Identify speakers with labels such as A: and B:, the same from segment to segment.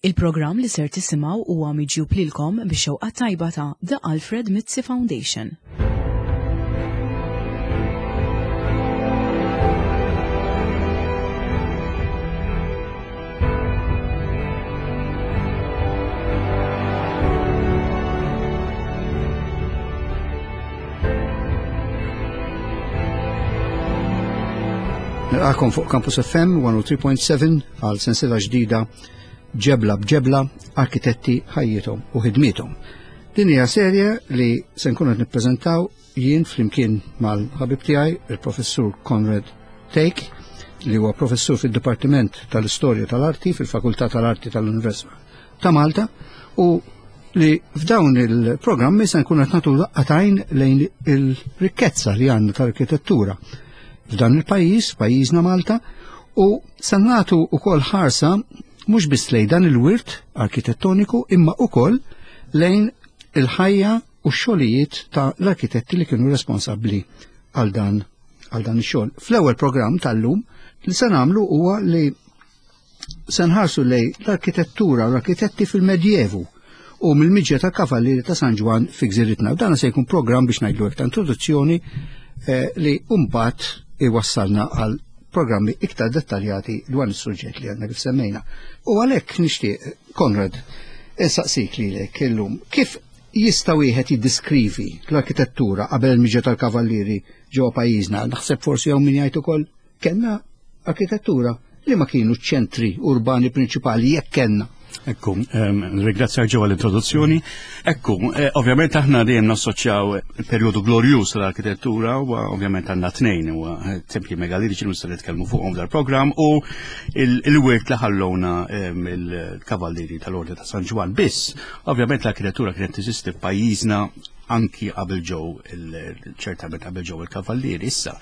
A: Il-programm li ser tisimgħu huwa miġjub lilkom bix-xewqa tajba ta' The Alfred Mizzi Foundation.
B: Nilqakom fuq Campus FM 103.7 għal sensiela ġdida Ġebla b'ġebla, arkitetti ħajjithom u ħidmiethom. Din hija serje li se nkunu qed nippreżentaw jien flimkien mal-ħabib tiegħi il-Professur Conrad Take li huwa professur fid-Dipartiment tal-Istorja tal-Arti fil-Fakultà tal-Arti tal-Università ta' Malta u li f'dawn il-programmi se nkunu qed nagħtu daqqa lejn il-rikkezza li għandna tal-arkitettura f'dan il-pajjiż, pajjiżna Malta, u se nagħtu wkoll ħarsa mhux biss lejn dan il-wirt arkitettoniku imma wkoll lejn il-ħajja u x-xogħlijiet ta' l-arkitetti li kienu responsabbli għal dan għal dan ix-xogħol. Fl-ewwel programm tal-lum li se nagħmlu huwa li se nħarsu lej l-arkitettura u l-arkitetti fil-Medjevu u mill-miġja tal-Kavallieri ta' San Ġwann fi gżiritna. U dan se jkun programm biex ngħidlu ta' introduzzjoni eh, li mbagħad iwassalna għal programmi iktar dettaljati dwar is-suġġett li għandna kif semmejna. U għalhekk nixtieq, Konrad, insaqsik lilek illum, kif jista' wieħed jiddiskrivi l-arkitettura qabel il-miġja tal-Kavallieri ġewwa pajjiżna? Naħseb forsi hawn min jgħid ukoll Kellna arkitettura li ma kienu ċentri urbani prinċipali jekk kellna.
C: Ekku, ringrazzjak ġewwa l-introduzzjoni. Ekku, eh, ovvjament aħna dejjem nassoċjaw il-perjodu glorjuż tal-arkitettura u ovvjament għandna tnejn huwa eh, tempji megalitiċi li nistgħu nitkellmu fuqhom dal-programm u il-wirt li ħallowna il-kavallieri tal-Ordni ta' San Ġwann. Biss, ovvjament l-arkitettura kienet teżisti f'pajjiżna anki qabel ġew ċertament qabel ġew il-kavallieri. Issa,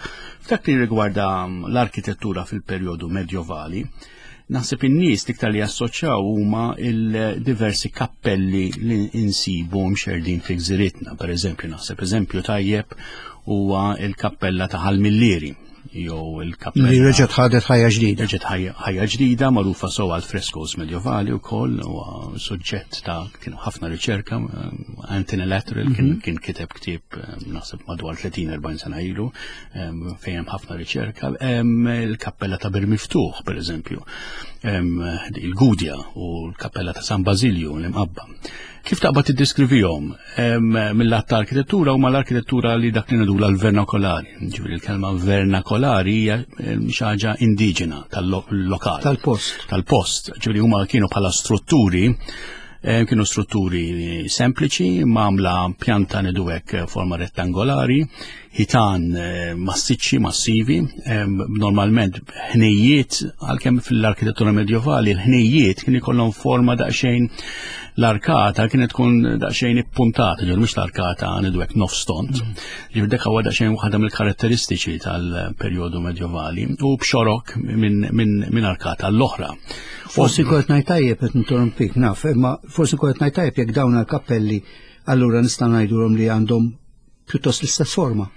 C: f'dak li rigwarda mm, l-arkitettura fil-perjodu medjovali, naħseb in-nies l-iktar li jassoċjaw huma il-diversi kappelli li insibu mxerdin fi gżiritna. Per eżempju, naħseb eżempju tajjeb huwa il-kappella ta' Ħal-Millieri jew il-kappella.
B: Li reġgħet ħadet ħajja ġdida.
C: Reġgħet ħajja ġdida magħrufa sew għal freskos medjovali wkoll u suġġett ta' kienu ħafna riċerka eh, Anthony Lateral kien mhm. kien kiteb ktieb eh, naħseb madwar 30-40 sena ilu eh, fejn hemm ħafna riċerka. Il-kappella ta' Bir Miftuħ pereżempju, il-Gudja u l-kappella ta' San Basilju l-Imqabba. Kif taqbad tiddeskrivihom mill-att ta' arkitettura huma l-arkitettura li dak li ngħidula l-vernakolari. Ġifieri l-kelma vernakolari hija xi ħaġa indiġena tal-lokal.
B: Tal-post.
C: Tal-post. Ġifieri huma kienu bħala strutturi kienu strutturi sempliċi, magħmla pjanta ngħidu hekk forma rettangolari, ħitan eh, massiċċi, massivi, eh, normalment ħnejjiet, għalkemm fil-arkitettura medjovali, l-ħnejjiet kien ikollhom forma daqsxejn l-arkata kienet tkun daqsxejn ippuntata, ġol mhux l-arkata ngħidu hekk nofs tont. Mm. Ġifier dak huwa daqsxejn waħda mill-karatteristiċi tal-perjodu medjovali u b'xorok minn min, min arkata l-oħra.
B: Forsi kont ngħid tajjeb qed ninterrompik naf, imma forsi kont ngħid tajjeb jekk dawn il-kappelli allura nista' ngħidulhom li għandhom pjuttost l-istess forma.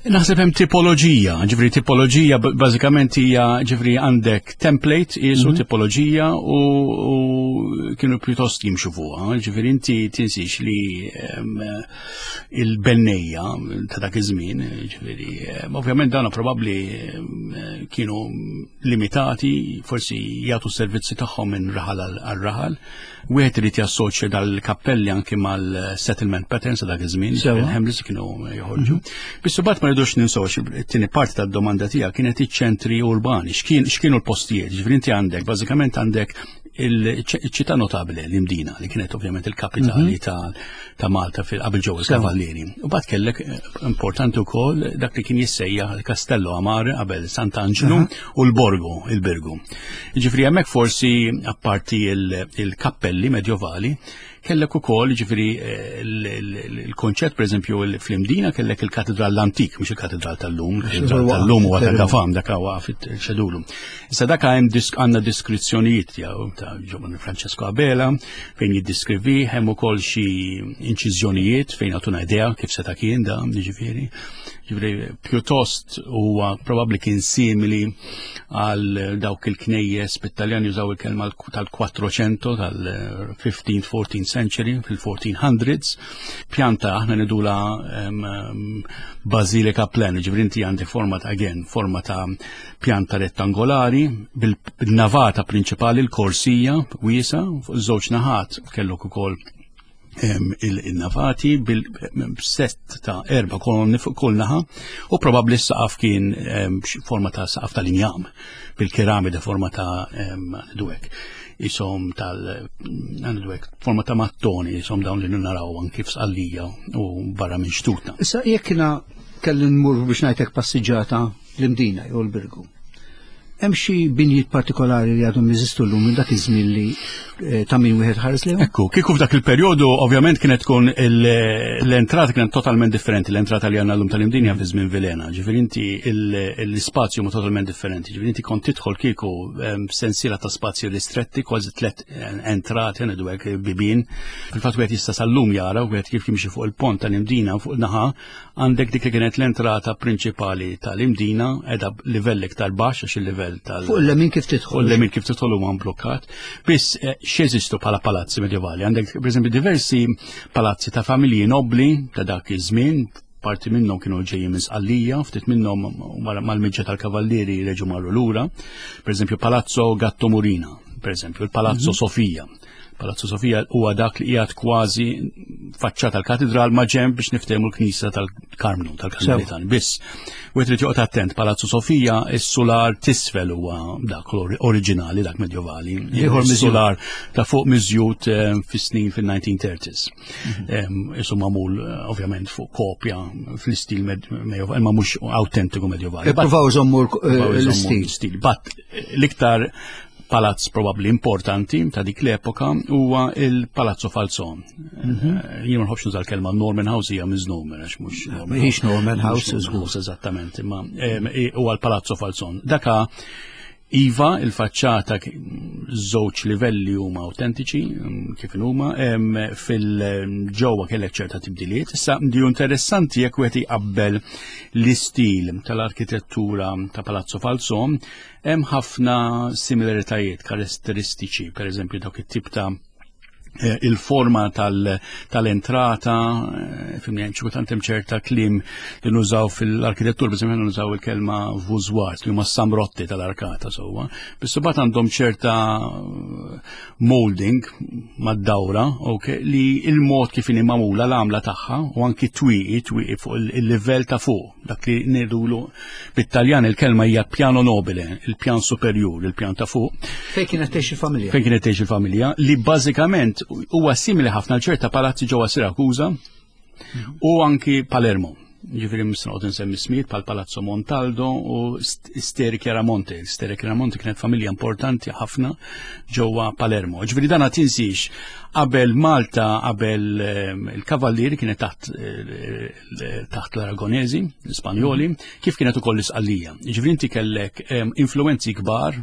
C: Naħseb hemm tipoloġija, ġifri tipoloġija bażikament hija ġifri għandek template qisu mm -hmm. tipoloġija u, u kienu pjuttost jimxu fuqha, ġifri inti tinsix li il-bennejja ta' dak iż-żmien, ġifri ovvjament dawna probabbli kienu limitati, forsi jagħtu s-servizzi tagħhom minn raħal għal raħal. Wieħed irid jassoċja dal-kappelli anki mal-settlement patterns ta' dak iż-żmien, il-hamlets kienu joħorġu. Mhm. Biss imbagħad ma rridux ninsew it-tieni parti tad-domanda tiegħek kienet iċ-ċentri urbani, x'kienu l-postijiet, ġifieri inti għandek bażikament għandek il-ċittà notabile l-Imdina li kienet ovvjament il-kapitali mhm. ta' Malta fil-qabel ġew il-Kavallieri. U bad kellek eh, importanti wkoll dak li kien jissejjaħ il-Castello Amare qabel Sant'Anġlu mhm. u l-Borgo, il-Birgu. Ġifri hemmhekk forsi apparti il-kappelli medjovali kellek ukoll ġifri eh, il-konċett pereżempju fl-Imdina kellek il-katedral l-antik, mhux il-katedral tal-lum, il-katedral tal-lum huwa ta' Gafam dak huwa fit-ċedulu. Issa dak hemm għandna diskrizzjonijiet tiegħu ta' Giovanni Francesco Abela fejn jiddiskrivi hemm ukoll xi inċiżjonijiet fejn għatuna idea kif seta' kien da, ġifieri. Ġifieri pjuttost huwa probabbli kien simili għal dawk il-knejjes bit-Taljan jużaw il-kelma tal-400 tal-15th, 14th century, fil-1400s. Pjanta aħna nidula bażilika plan, ġifieri inti għandek forma ta' again, forma ta' pjanta rettangolari bil-navata prinċipali l-korsija wiesa fuq żewġ naħat kellok ukoll il-navati bil-sett ta' erba kolonni fuq kull naħa u probabbli s-saqaf kien forma ta' saqaf tal-injam bil-keramida forma ta' dwek isom tal dwek forma ta' mattoni isom dawn li naraw anki f'Sqallija u barra minn xtutna.
B: Issa jekk kelli nmur biex ngħidlek passiġġata l-Imdina jew l-Birgu. Hemm xi binjiet partikolari li għadhom jeżistu llum minn dak iż-żmien li eh, ta' min wieħed ħares lejhom?
C: Ekku, kieku f'dak il-perjodu ovvjament kienet tkun l-entrata kienet totalment differenti, l-entrata li għandna llum tal-Imdinja fi żmien Vilena. Ġifieri inti l-ispazju ma totalment differenti. Ġifieri inti kont tidħol kieku ehm, sensiela ta' spazji ristretti, kważi tliet eh, entrati ngħidu hekk bibien. Fil-fatt wieħed jista' sal-lum jara wieħed kif jimxi fuq il-pont tal-Imdina fuq naħa Għandek dik li kienet l-entrata prinċipali tal-Imdina, edha livell iktar baxx għax il-livell tal-
B: Fuq il-lemin kif tidħol.
C: Fuq il-lemin kif tidħol huwa mblukkat. Biss eh, x'jeżistu bħala palazzi medjevali? Għandek pereżempju diversi palazzi ta' familji nobli ta' dak iż-żmien, parti minnhom kienu ġejjin minn Sqallija, ftit minnhom mal-miġġa tal-Kavallieri reġu marru lura. Pereżempju Palazzo Gatto Murina, pereżempju il-Palazzo mhm. Sofija. Palazzo Sofija huwa dak li qiegħed kważi faċċata l-katedral ma' ġenb biex niftehmu l-knisja tal-Karmnu, tal-Karmelitan. Biss, u trid joqgħod attent, Palazzo Sofija is-sular tisfel huwa dak oriġinali, dak medjovali. Ieħor sular ta' fuq miżjud eh, fis-snin fil-1930s. Mhm. Isu magħmul eh, ovvjament fuq kopja fl-istil medjovali, ma mhux autentiku medjovali.
B: Ippruvaw żommu eh, l-istil.
C: Bat l-iktar palazz probabbli importanti ta' dik l-epoka huwa il-Palazzo Falzon. Mhm. Eh, jien ma nħobbx nuża l-kelma Norman House hija miżnomer għax mhux
B: Norman. Mhix Norman House
C: żgur. Eżattament, imma huwa l-Palazzo Falzon. Daka Iva, il-faċċata żewġ livelli huma autentiċi kif huma, fil-ġewwa kellek ċerta tibdiliet. Issa di interessanti jekk wieħed iqabbel l-istil tal-arkitettura ta' Palazzo Falzon Hemm ħafna similaritajiet karatteristiċi, per eżempju dawk it-tip ta' eh, il-forma tal-entrata, eh, fimni hemm kultant hemm ċerta kliem li nużaw fil-arkitettur, per eżempju nużaw il-kelma vużwart li huma samrotti tal-arkata sewwa. Biss imbagħad għandhom ċerta eh, molding mad-dawra, ok, li il-mod kif inhi magħmula l-għamla tagħha u anki twieqi, twieqi fuq il-livell ta' fuq dak li ngħidulu bit-Taljan il-kelma hija piano nobile, il-pjan superjur, il-pjan ta' fuq.
B: Fejn kienet tgħix il-familja?
C: Fejn kienet tgħix il-familja, li bażikament huwa simili ħafna l ċerta palazzi ġewwa Sirakuża u anki Palermo. Ġifieri mhux insemmi smijiet bħal Palazzo Montaldo u Steri Chiaramonte. Steri Chiaramonte kienet familja importanti ħafna ġewwa Palermo. Ġifieri dan tinsiex qabel Malta, qabel ehm, il-Kavallieri kienet taħt eh, taħt l-Aragonezi, l-Ispanjoli, kif kienet ukoll l-Isqallija. Ġifieri inti kellek influenzi kbar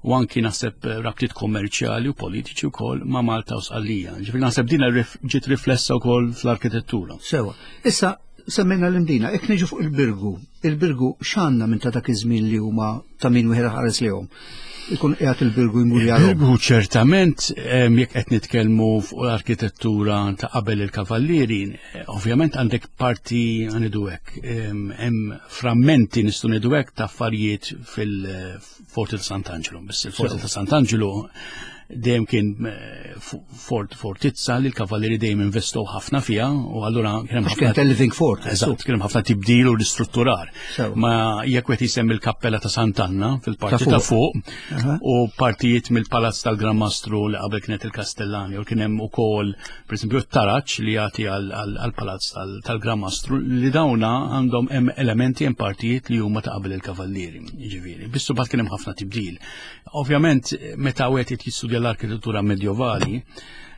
C: u anki naħseb eh, rabtiet kommerċjali u politiċi wkoll ma' Malta u Sqallija. Ġifieri naħseb din ġiet riflessa wkoll fl-arkitettura.
B: Sewa. Issa semmejna l-Imdina, jekk niġu fuq il-Birgu, il-Birgu x'għandna minn ta' dak iż-żmien li huma ta' min wieħed ħares lehom. Ikun qiegħed il-Birgu jmur
C: jarahom. Il-Birgu ċertament jekk qed nitkellmu fuq l-arkitettura ta' qabel il-Kavallieri, eh, ovvjament għandek parti ngħidu hekk, hemm frammenti nistgħu ngħidu hekk ta' affarijiet fil-Forti ta' Sant'Angelo. Biss il-Forti ta' Sant'Angelo dejjem kien eh, fort fortizza li l-kavallieri dejjem investow ħafna fiha u allura
B: kien hemm ħafna living fort.
C: Eżatt, kien hemm ħafna tibdil u ristrutturar. Ma jekk qed jisemmi l-kappella ta' Sant'Anna fil-parti ta' fuq u partijiet mill-palazz tal-Gran Mastru li qabel kienet il-Kastellani u kien hemm ukoll pereżempju t-taraġ li jagħti għall-palazz tal-Gran Mastru li dawna għandhom hemm elementi hemm partijiet li huma ta' qabel il-kavallieri, jiġifieri. Biss bat kien hemm ħafna tibdil. Ovvjament, meta wieħed jistudja l-arkitettura medjovali,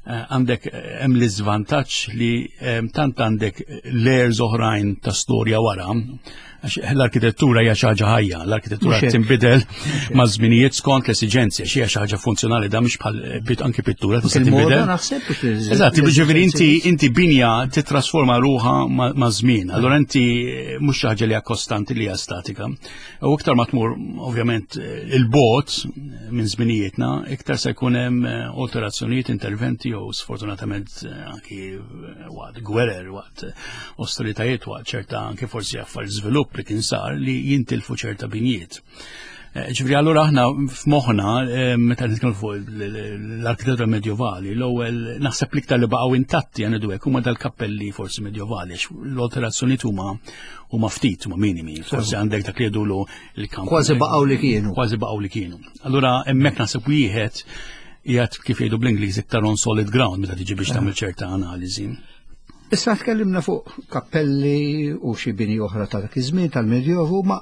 C: Għandek hemm l-iżvantaġġ li tant għandek layers oħrajn ta' storja wara, għax l-arkitettura hija xi ħaġa ħajja, l-arkitettura tinbidel ma' żminijiet skont l-esiġenzi, għax hija xi ħaġa funzjonali da mhux bħal anki pittura tista' tinbidel. Eżatt, jiġifieri inti inti binja titrasforma ruħha ma' żmien, allura inti mhux xi ħaġa li hija kostanti li hija statika. U iktar ma tmur ovvjament il-bot minn żminijietna, iktar se jkun hemm alterazzjonijiet, interventi jew sfortunatament anki waqt gwerer, waqt ostilitajiet, waqt ċerta anki forsi affar żvilupp li kien sar li jintilfu ċerta binjiet. Ġifieri allura aħna f'moħħna meta nitkellmu fuq l-arkitettura medjovali, l-ewwel naħseb l-iktar li baqgħu intatti għandu hekk huma dal-kappelli forsi medjovali għax l-alterazzjonijiet huma huma ftit, huma minimi. Forsi għandek dak li jgħidulu il-kamp.
B: Kważi baqgħu li kienu.
C: Kważi baqgħu li kienu. Allura hemmhekk naħseb wieħed qiegħed kif jgħidu bl-Ingliż iktar on solid ground meta tiġi biex tagħmel ċerta analiżi.
B: Issa tkellimna fuq kappelli u xi bini oħra ta' dak iż-żmien tal-Medjovu, ma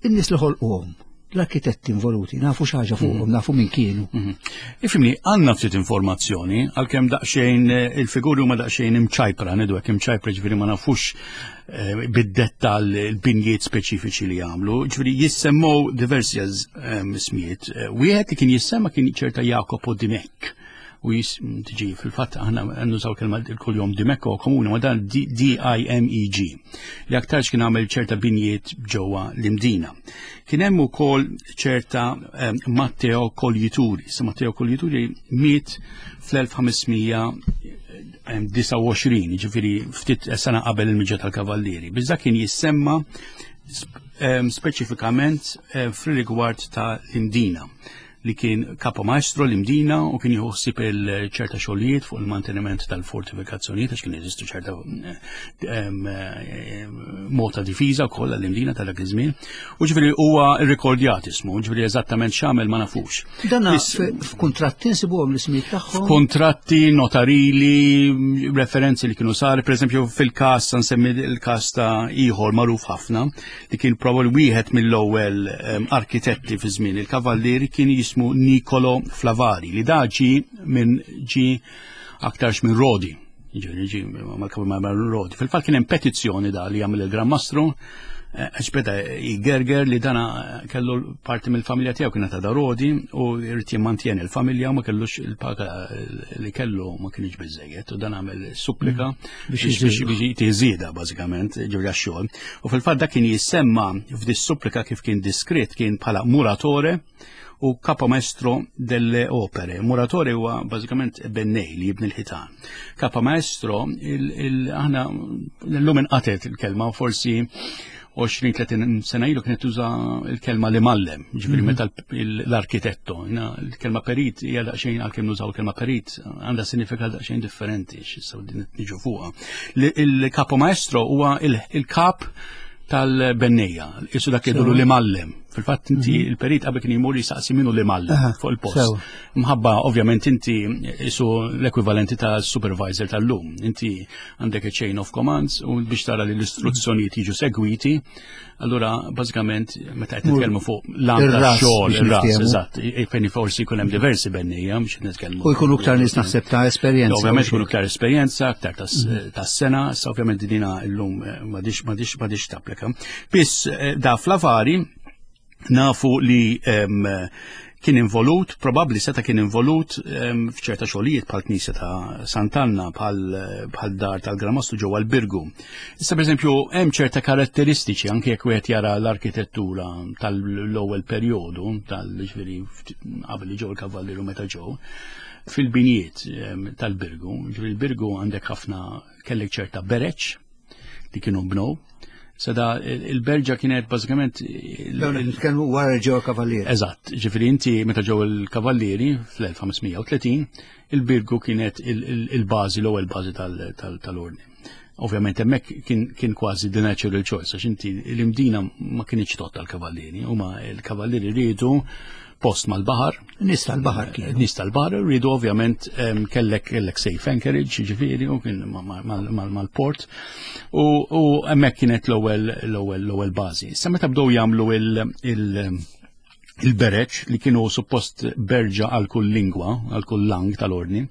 B: in-nies li ħolquhom, l-arkitetti involuti, nafu xi ħaġa fuqhom, nafu min kienu.
C: Ifhimni, għandna ftit informazzjoni, għalkemm daqsxejn il-figuri huma daqsxejn imċajpra, ngħidu hekk imċajpra ġifieri ma nafux bid-dettall il-binjiet speċifiċi li għamlu, ġifieri jissemmew diversi ismijiet. Wieħed li kien jissemma kien ċerta Jacopo Dimech. U tiġi fil-fatt aħna nużaw kelma il-kuljom Dimech u komuni, ma dan D-I-M-E-G, li aktarx kien għamel ċerta binjiet ġewwa l-Imdina. Kien hemm ukoll ċerta Matteo Coglituri. Sa Matteo Coglituri miet fl-1529, ġifieri ftit sena qabel il-miġja tal-Kavallieri. Biżda kien jissemma speċifikament fil-rigward ta' l-Imdina, li kien kapo maestro l-Imdina u kien jieħu ħsieb il-ċerta xogħlijiet fuq il-manteniment tal-fortifikazzjonijiet għax kien jeżistu ċerta mod ta' difiża wkoll għall-Imdina ta' dak iż-żmien. U ġifieri huwa rrekordjat ismu, ġifieri eżattament x'għamel ma nafux.
B: Dan f'kuntratti nsibuhom l-ismijiet tagħhom?
C: F'kuntratti notarili, referenzi li kienu sar, pereżempju fil-każ nsemmi l-każ ta' ieħor magħruf ħafna li kien probabbli wieħed mill-ewwel arkitetti fi żmien il-Kavallieri kien jismu Nicolo Flavari li da ġi minn ġi aktarx minn Rodi. Ġi, ġi mal-Kavallieri minn Rodi. Fil-fatt kien hemm petizzjoni da li jagħmel il-Gran Mastru, għax beda jgerger li dana kellu parti mill-familja tiegħu kienet ta' Rodi u jrid jimmantjeni l-familja u ma kellux il-paga li kellu ma kienx biżejjed u dan għamel supplika
B: Biex
C: biex jtiżieda bażikament ġifieri għax-xogħol. U fil-fatt dak kien jissemma f'dis supplika kif kien diskret kien bħala muratore u capomestro delle opere. Muratore huwa bażikament bennej li jibni l-ħitan. Capomestro, aħna l-lum inqatet il-kelma u forsi 20-30 sena ilu kienet tuża il-kelma li mallem, ġifieri meta l-arkitetto, il-kelma perit hija daqsxejn għalkemm nużaw il-kelma perit għandha sinifikat daqsxejn differenti, x'issa din niġu fuqha. Il-capomaestro huwa il-kap tal-bennejja, isu dak jgħidulu li mallem. Fil-fatt inti il-perit qabel kien jmur jisaqsi minnu li mallem fuq il-post. Mħabba ovvjament inti isu l-ekwivalenti ta' supervisor tal-lum. Inti għandek a chain of commands u biex tara li l-istruzzjonijiet jiġu segwiti, allura bażikament meta qed nitkellmu fuq l-għan
B: Ir-ras
C: tax-xogħol,
B: biex
C: ir-ras,
B: niftehmu.
C: eżatt, fejn forsi jkun hemm diversi bennejja biex nitkellmu.
B: U jkunu iktar nies naħseb ta' esperjenza.
C: Ovvjament jkunu iktar esperjenza, iktar ta' sena, issa ovvjament dina llum m'għadix tapplika. Biss da Flavari nafu li kien involut, probabbli seta' kien involut f'ċerta xogħlijiet bħal knisja ta' Sant'Anna, bħal dar tal-Gran Mastru ġewwa l-Birgu. Issa pereżempju hemm ċerta karatteristiċi anke jekk wieħed jara l-arkitettura tal-ewwel perjodu, tal-ġifieri qabel li ġew il-Kavallieri u meta ġew, fil-binijiet tal-Birgu. Ġifieri l-Birgu għandek ħafna kellek ċerta bereċ li kienu bnow. Sada il-Berġa kienet bażikament
B: Dawn qed nitkellmu wara li ġew il-Kavallieri.
C: Eżatt, ġifieri inti meta ġew il-Kavallieri fl-1530, il-Birgu kienet il-bażi, l-ewwel bażi tal-ordni. Ovvjament hemmhekk kien kważi the natural choice, għax inti l-Imdina ma kienx tot tal-Kavallieri, huma l-Kavallieri riedu post mal-baħar.
B: Nies tal-baħar kienu.
C: Nies tal-baħar rridu ovvjament kellek safe anchorage, ġifieri, u kien mal-port. U hemmhekk kienet l-ewwel bażi. Issa meta bdew jagħmlu Il-bereċ li kienu suppost berġa għal kull lingwa, għal kull lang tal-ordni.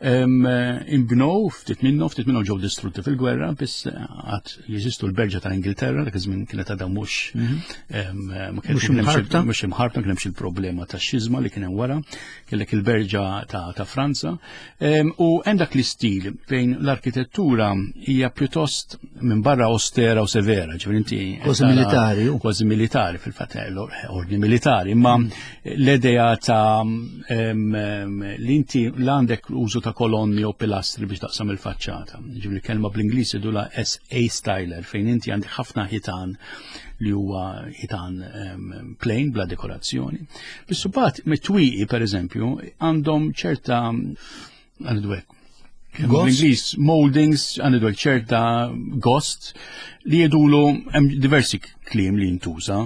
C: Imbnow ftit minnhom, ftit minnhom ġew distrutti fil-gwerra, biss għad jeżistu l-berġa tal-Ingilterra, dak iż-żmien kienet għadha mhux mhux imħarbta, kien hemmx il-problema tax-xiżma li kien hemm wara, kellek il-berġa ta' Franza. U hemm dak l-istil fejn l-arkitettura hija pjuttost minn barra austera u severa, ġifieri inti
B: kważi militari,
C: kważi militari fil-fatt eh, ordni militari, imma mm. l-idea ta' li inti l-għandek użu ta' kolonni u pilastri biex taqsam il-faċċata. Ġifieri kelma bl-Ingliż idula SA styler fejn inti għandek ħafna ħitan li huwa ħitan plain bla dekorazzjoni. Biss imbagħad mit-twieqi pereżempju għandhom ċerta għandu hekk. Bl-Ingliż moldings għandu ċerta gost li jedulu hemm diversi kliem li jintuża.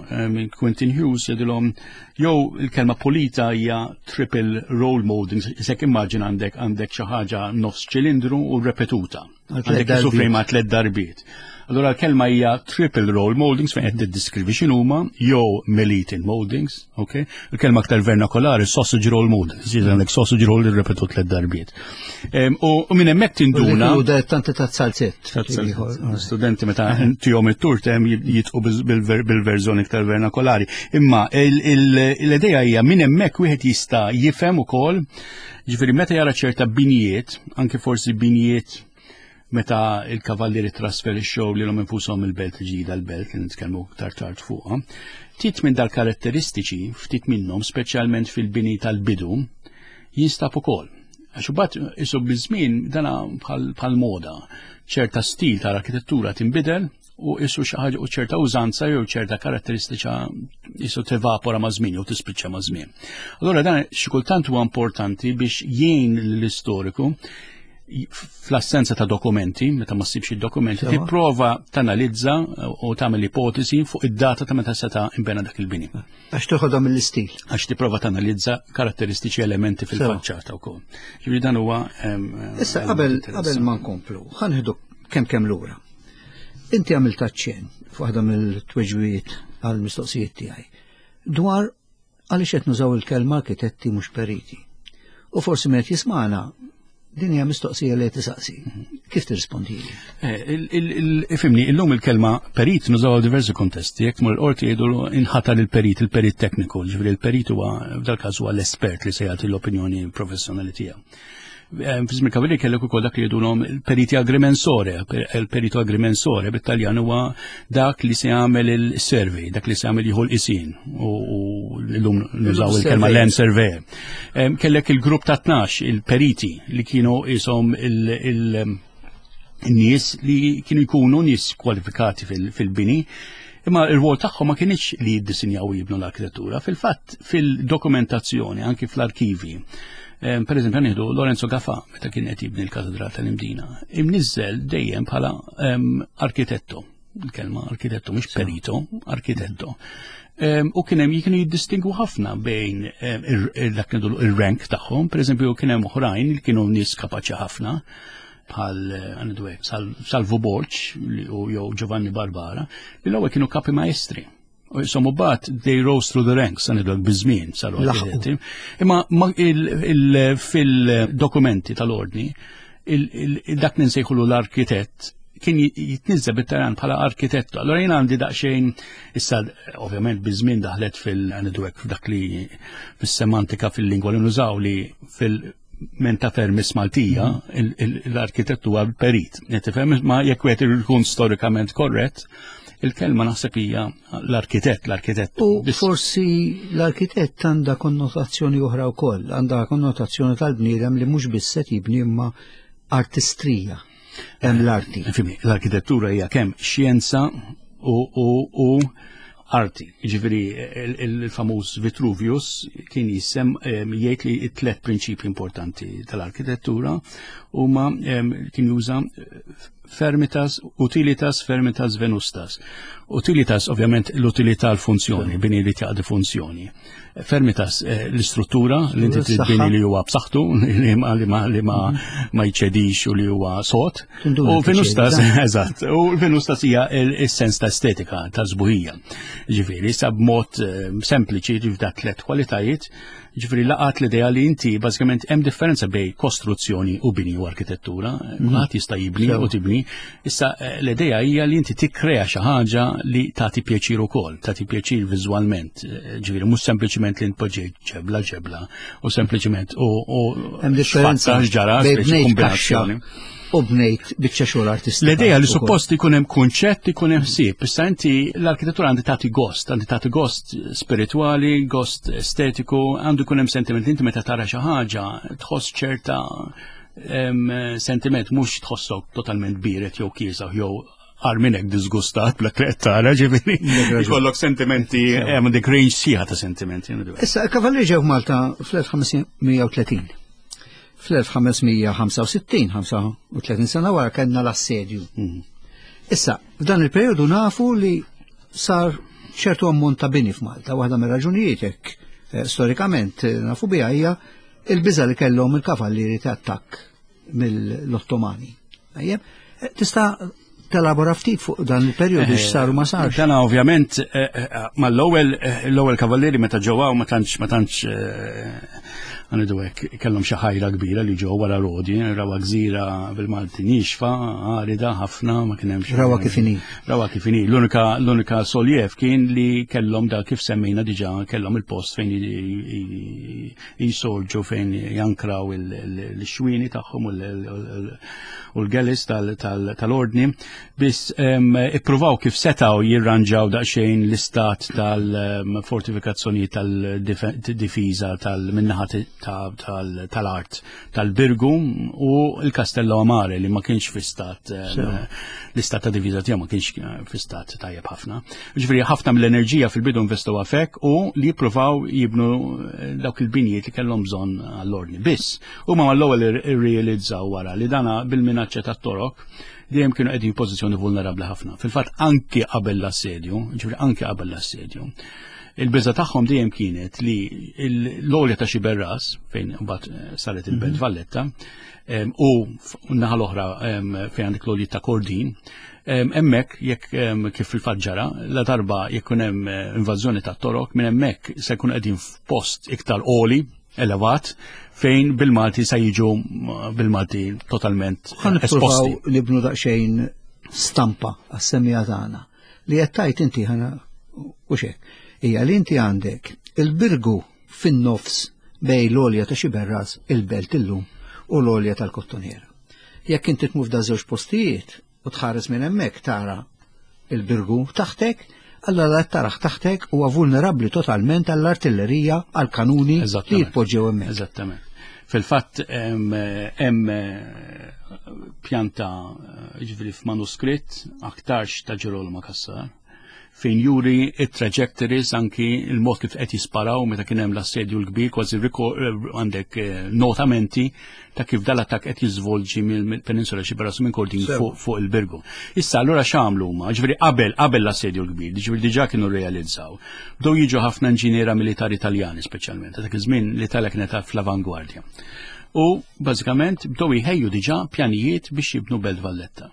C: Quentin Hughes jedulhom jew il-kelma pulita hija triple roll moldings, isek immaġin għandek għandek xi ħaġa nofs ċilindru u repetuta. Għandek isufri ma' tliet darbiet. Allora l-kelma hija triple roll moldings fejn qed tiddiskrivi x'inhuma jew melitin moldings, ok? Il-kelma aktar vernakolari sausage roll moldings, jiġri għandek sausage roll irrepetu tliet darbiet. U minn hemmhekk tinduna.
B: U tanti ta' salzett.
C: Studenti meta tihom it-tur hemm jitqu bil-verżjoni iktar vernakolari. Imma l-idea hija minn hemmhekk wieħed jista' jifhem ukoll Ġifieri meta jara ċerta binjiet, anke forsi binjiet meta il-kavallieri trasferixxew lilhom infushom il-belt ġdida l-belt li nitkellmu aktar tard fuqha, ftit minn dal-karatteristiċi, ftit minnhom, speċjalment fil-bini tal-bidu, jinstab ukoll. Għax imbagħad isu biż-żmien dana bħal moda, ċerta stil tal-arkitettura tinbidel u isu xi ħaġa u ċerta użanza jew ċerta karatteristiċa isu tevapora ma' żmien jew tispiċċa ma' żmien. Allura dan xi kultant huwa importanti biex jgħin lill-istoriku fl-assenza ta' dokumenti, meta ma ssibx id-dokumenti, tipprova tanalizza u tagħmel ipotesi fuq id-data ta' meta seta' imbena dak il-bini.
B: Għax toħodha mill-istil.
C: Għax tipprova tanalizza karatteristiċi elementi fil-faċċata wkoll. Ġifieri dan huwa
B: Issa qabel qabel ma nkomplu, ħanħdu kemm kemm lura. Inti għamilt aċċenn f'waħda mill-tweġibiet għall-mistoqsijiet tiegħi dwar għaliex qed nużaw il-kelma arkitetti mhux periti. U forsi min qed jismagħna din hija mistoqsija li qed tisaqsi. Kif tirrispondi?
C: Eh, ifimni, illum il-kelma perit nużaw għal diversi kontesti, jekk mur il-qorti jgħidu inħatar il-perit, il-perit tekniku, ġifieri il-perit huwa f'dal-każ huwa l-espert li se jagħti l-opinjoni professjonali tiegħu. Eh, fi żmien Kavalli kellek ukoll dak li jgħidulhom il-periti agrimensore, il-perito agrimensore bit-Taljan huwa dak li se jagħmel il-survey, dak li se jagħmel jieħu l-qisin u llum nużaw il-kelma land surveyor. Eh, kellek il-grupp ta' 12 il-periti li kienu ishom il- nies li kienu jkunu nies kwalifikati fil-bini, imma il-rwol tagħhom ma kienx li jiddisinjaw u jibnu l-arkitettura. Fil-fatt, fil-dokumentazzjoni, anki fl-arkivi, eh, per eżempju, nieħdu Lorenzo Gafa meta kien qed jibni l-Katedral tal-Imdina, imniżżel dejjem bħala ehm, arkitetto il-kelma arkitetto, mhux perito, arkitetto. Ehm, u kien hemm kienu jiddistingwu ħafna bejn ehm, dak il-rank tagħhom, pereżempju kien hemm oħrajn li kienu nies kapaċi ħafna bħal għandu Salvu Borg u jew Giovanni Barbara, li l-ewwel kienu kapi maestri. U jisom bat they rose through the ranks, għandu bizmin saru arkitetti. Imma fil-dokumenti tal-ordni, dak ninsejħulu l-arkitett kien jitnizza bit-Taljan bħala arkitettu. Allora jien għandi daqsxejn issa ovvjament biż-żmien daħlet fil-għandu dak li fis-semantika fil-lingwa li nużaw li fil- menta fermis Maltija, l-arkitettu huwa perit. Tifhem ma jekk wieħed ikun storikament korrett, il-kelma naħseb hija l-arkitett, l-arkitett.
B: U forsi l-arkitett għandha konnotazzjoni oħra wkoll, għandha konnotazzjoni tal-bniedem li mhux biss se jibni imma artistrija.
C: Hemm l-arti. L-arkitettura hija kemm xjenza u, u, u arti. Ġifieri il-famuż Vitruvius kien jissem jgħid li t-tlet prinċipji importanti tal-arkitettura huma kien juża Fermitas, Utilitas, Fermitas, Venustas. Utilitas, ovvjament, l-utilità l-funzjoni, bini li tjaqdi funzjoni. Fermitas, eh, l-istruttura, li inti trid bini li huwa b'saħħtu, li ma li ma li ma ma jċedix u li huwa sod. U Venustas, eżatt, u Venustas hija il-sens ta' estetika, ta' sbuħija. Ġifieri, sa b'mod eh, sempliċi, ġifieri tlet kwalitajiet, Ġifieri laqat l-idea li inti bażikament hemm differenza bej kostruzzjoni u bini u arkitettura. Mhm. Kulħadd jista' jibni u tibni. Issa eh, l-idea hija li inti tikkrea xi ħaġa li tagħti pjaċir ukoll, tagħti pjaċir viżwalment. Eh, ġifieri mhux sempliċiment li npoġġi ġebla ġebla u sempliċiment u
B: hemm differenza ġara kombinazzjoni u bnejt biċċa xogħol artistika.
C: L-idea li suppost ikun hemm kunċett, ikun hemm ħsieb. Issa inti l-arkitettura għandi tagħti gost, għandi tagħti gost spiritwali, gost estetiku, għandu jkun hemm sentiment inti meta tara xi ħaġa tħoss ċerta sentiment mhux tħossok totalment biret jew kiesaħ jew għar minnek disgustat bla li tara ġifieri. Ikollok sentimenti, hemm dik range sieħa ta' sentimenti.
B: Issa, il-kavalli ġew Malta fl-1530. Fl-1565, 35 sena wara kellna l-assedju. Mhm. Issa, f'dan il-perjodu nafu li sar ċertu ammont ta' bini f'Malta, waħda mir-raġunijiet hekk eh, storikament eh, nafu biha hija il-biża li kellhom il-kavallieri ta' attakk mill-Ottomani. Eh, tista' telabora ftit fuq dan il-perjodu eh, x'saru ma sarx.
C: Dan ovvjament eh, mal-ewwel l-ewwel kavallieri meta ġewwa ma tantx ma tantx għanidu hekk kellhom xi ħajra kbira li ġew wara Rodi, rawa gżira bil-Malti nixfa, għarida ħafna ma kien hemmx.
B: Rawa kif inhi.
C: Rawa kif inhi. L-unika l-unika soljev kien li kellhom da kif semmejna diġà kellhom il-post fejn jisorġu fejn jankraw il-xwini tagħhom u l-gelis tal-ordni biss ippruvaw kif setaw jirranġaw daqsxejn l-istat tal-fortifikazzjoni tal-difiża tal-minnaħa tal-art tal-Birgu u l-Castello Amare li ma kienx fi stat l-istat ta' diviża tiegħu ma kienx eh, fi stat tajjeb ħafna. Ġifieri ħafna mill-enerġija fil-bidu investu għafek u li jippruvaw jibnu eh, dawk il-binjiet li kellhom bżonn għall-ordni. Biss, huma mal-ewwel irrealizzaw wara li dana bil-minaċċa tat-torok dejjem kienu qegħdin pożizzjoni vulnerabbli ħafna. Fil-fatt anki qabel l-assedju, ġifieri anki qabel l-assedju, Il-biża tagħhom dejjem kienet li l-għolja ta' Xiberras, fejn mbagħad eh, saret il-Belt mhm. Valletta, u naħa l-oħra fejn għandek l-għolja ta' Kordin, hemmhekk jekk kif fil-fatt ġara, la darba jekk hemm eh, invażjoni ta' torok, minn hemmhekk se jkun qegħdin f'post iktar għoli, elevat, fejn bil-Malti se jiġu bil-Malti totalment
B: esposti. Nibnu daqsxejn stampa għas-semija tagħna. Li qed tgħid inti ħana u xek, hija li inti għandek il-birgu fin-nofs bej l-olja ta' Xiberras il-belt illum u l-olja tal-Kottoniera. Jekk inti tmur f'da żewġ postijiet u tħares minn hemmhekk tara il-birgu taħtek, allora la taraħ taħtek huwa vulnerabbli totalment għall-artillerija, għall-kanuni li jitpoġġew hemmhekk.
C: Eżattament. Fil-fatt hemm pjanta ġifieri f'manuskritt aktarx ta' Ġerolmo Cassar fejn juri it-trajectories anki il-mod kif qed jisparaw meta kien hemm l-assedju l-kbir kważi għandek eh, notamenti ta' kif dal-attakk qed jiżvolġi mill-peninsula xi minn Kordin fuq il-Birgu. Issa allura x'għamlu huma? Ġifieri qabel qabel l-assedju l-kbir, ġifieri diġà kienu realizzaw. Bdew jiġu ħafna inġiniera militari Taljani speċjalment, dak iż-żmien l-Italja kienet fl-avangwardja. U bażikament bdew jħejju diġà pjanijiet biex jibnu Belt Valletta.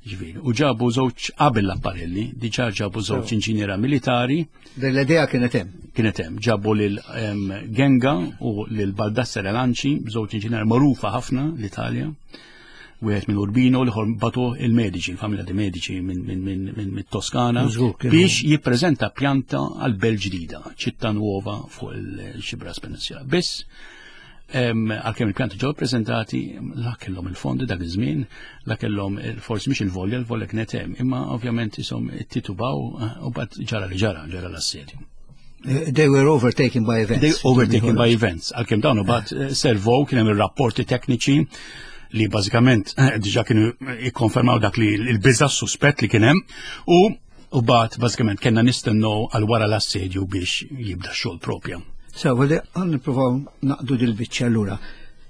C: Ġifieri, u ġabu żewġ qabel l-apparelli, diġà ġabu żewġ inġiniera militari.
B: L-idea kienet hemm.
C: Kienet hemm, ġabu lil Genga u lil Baldassare Lanci, żewġ inġiniera magħrufa ħafna l-Italja wieħed minn Urbino, l-ieħor batu il-Medici, il-familja di Medici minn Toskana, biex jippreżenta pjanta għal belt ġdida, ċittà nuova fuq il-Xibras Peninsula. Biss, għalkemm il-pjanti ġew ippreżentati, la kellhom il-fondi dak iż-żmien, la kellhom forsi mhix il-volja, il-volja kienet hemm, imma ovvjament isom titubaw u bad ġara li ġara, ġara l-assedju.
B: Eh, they were overtaken by events.
C: They overtaken by events. Għalkemm dawn bat eh, servow kien hemm ir-rapporti tekniċi li bażikament eh, diġà kienu ikkonfermaw dak li l-biża suspett li kien hemm u u bat bażikament kellna nistennew għal wara l-assedju biex jibda x-xogħol propja.
B: So, għalli għan nippruvaw naqdu dil-biċċa allura.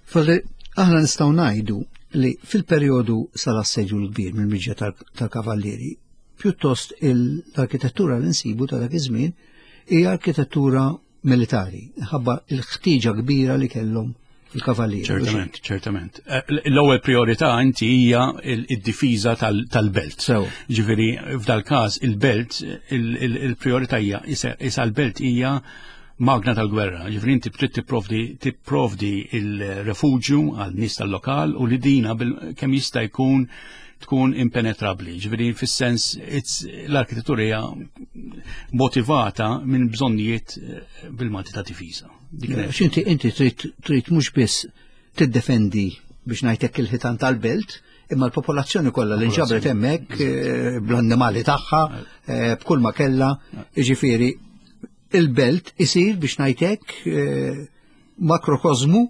B: Falli aħna nistgħu ngħidu li fil-perjodu sal-assedju l-kbir mill-miġja tal-kavallieri, pjuttost l-arkitettura li nsibu ta' dak iż-żmien hija arkitettura militari, ħabba l-ħtieġa kbira li kellhom il-kavallieri.
C: Ċertament, ċertament. Eh, l-ewwel priorità inti hija id-difiża tal-belt. Ġifieri f'dal każ il-belt il-priorità hija isa l-belt hija magna tal-gwerra. Ġifieri inti trid tipprovdi tipprovdi il-refuġju għal nies tal-lokal u li dina kemm jista' jkun tkun impenetrabbli. Ġifieri fis-sens l-arkitettura hija motivata minn bżonnijiet eh, bil-Malti ta' difiża.
B: X'inti inti trid trid mhux biss tiddefendi biex ngħidlek il-ħitan tal-belt, imma l-popolazzjoni kollha li nġabret hemmhekk eh, bl-annimali tagħha, eh, b'kull ma kellha, jiġifieri il-belt isir biex ngħidlek eh, makrokosmu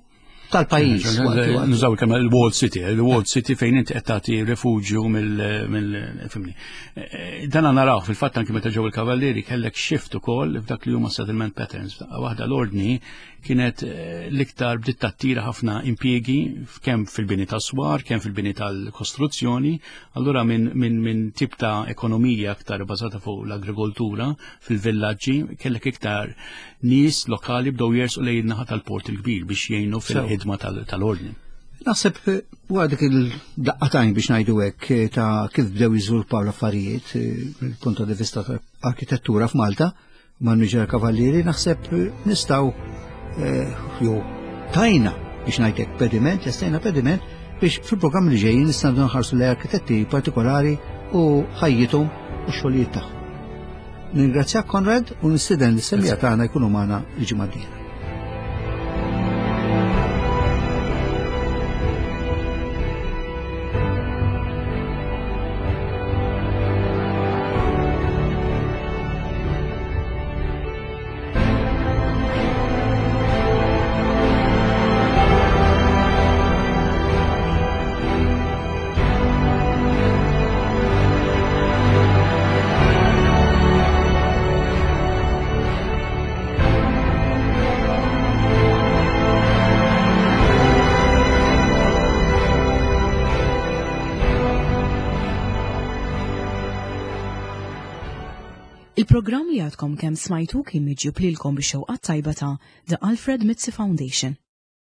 B: tal-pajjiż.
C: Nużaw kemm il-Walled City, il-Walled City fejn inti qed tagħti refuġju mill-fimni. Eh, dan naraw fil-fatt anki meta ġew il-Kavallieri kellek shift ukoll f'dak li huma settlement patterns. Waħda l-ordni kienet eh, l-iktar bdiet tattira ħafna impjiegi kemm fil-bini tas-swar, kemm fil-bini tal-kostruzzjoni, allura minn min, min tip ta' ekonomija aktar bażata fuq l-agrikoltura fil-villaġġi kellek iktar nies lokali bdew jersqu lejn in-naħa tal-Port il-Kbir biex jgħinu fil-ħidma tal-ordni.
B: Naħseb eh, wara dik il-daqqatajn biex ngħidu hekk eh, ta' kif bdew jiżviluppaw l-affarijiet eh, mill-punt di vista ta' arkitettura f'Malta ma' Niġer Kavallieri naħseb nistgħu jew tajna biex ngħidlek pediment, lestajna pediment biex fil-programm li ġejjin nistgħu nħarsu lejn arkitetti partikolari u ħajjithom u x-xogħlijiet tagħhom. Ningrazzjak Konrad u nistieden lis-semmiegħa tagħna jkunu magħna l-ġimgħa d-dieħla.
A: Il-programm li għadkom kemm smajtu kien miġjub lilkom bix-xewqat tajba ta' The Alfred Mizzi Foundation.